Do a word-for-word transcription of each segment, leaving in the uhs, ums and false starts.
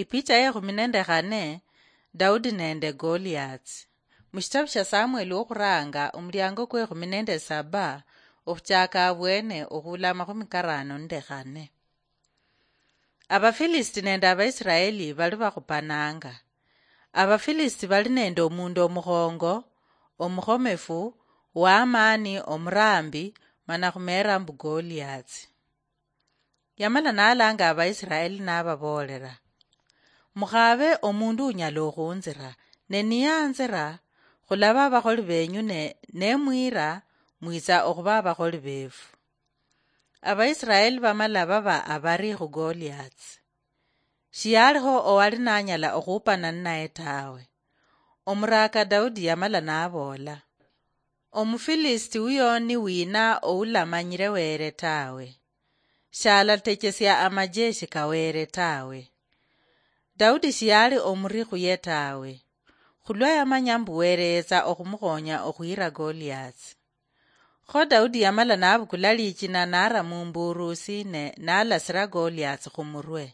Ipicha yekhumi nende khane, Daudi nende Goliath. Mushitabu shia Samueli wokhuranga, omuliango kwekhumi nende saba, okhuchaka abwene okhula amakhumi karano nende khane. Abafilisiti nende Abaisiraeli bali bakhupananga. Abafilisiti bali nende omundu omukhongo, omukhomefu, wamaani, omurambi, mana khumeera mbu Goliath. Yamala nalanga Abaisiraeli nababoolera, "Mukhabe omundu unyala okhunzira, ne niyanzira, khulaba abakholi benyu, ne nemwira, mwitsa okhuba abakholi befu." Abaisiraeli bamala baba abari khu Goliath. Shiyalikho owali nanyala okhupana ninaye tawe. Omuraka Daudi yamala naboola, "Omufilisiti uyo ni wina oulamanyire Were tawe? Shalatechesia amajeshi ka Were tawe." Daudi shiyali omuri khuye tawe, khulwa yamanya mbu Were yetsa okhumukhonya okhwira Goliath. Kho Daudi yamala nabukula lichina nara mumburusi ne nalasira Goliath khumurwe.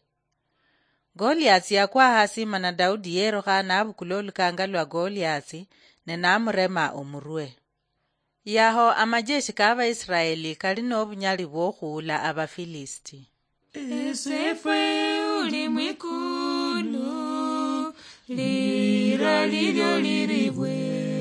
Goliath yakwa hasi, mana Daudi yerukha nabukula olukanga lwa Goliath ne namurema omurwe. Yaho amajeshi ka Abaisiraeli kali nobunyali bwokhuula Abafilisiti. Esefwe uli mwikulu, lira lilyo liribwe.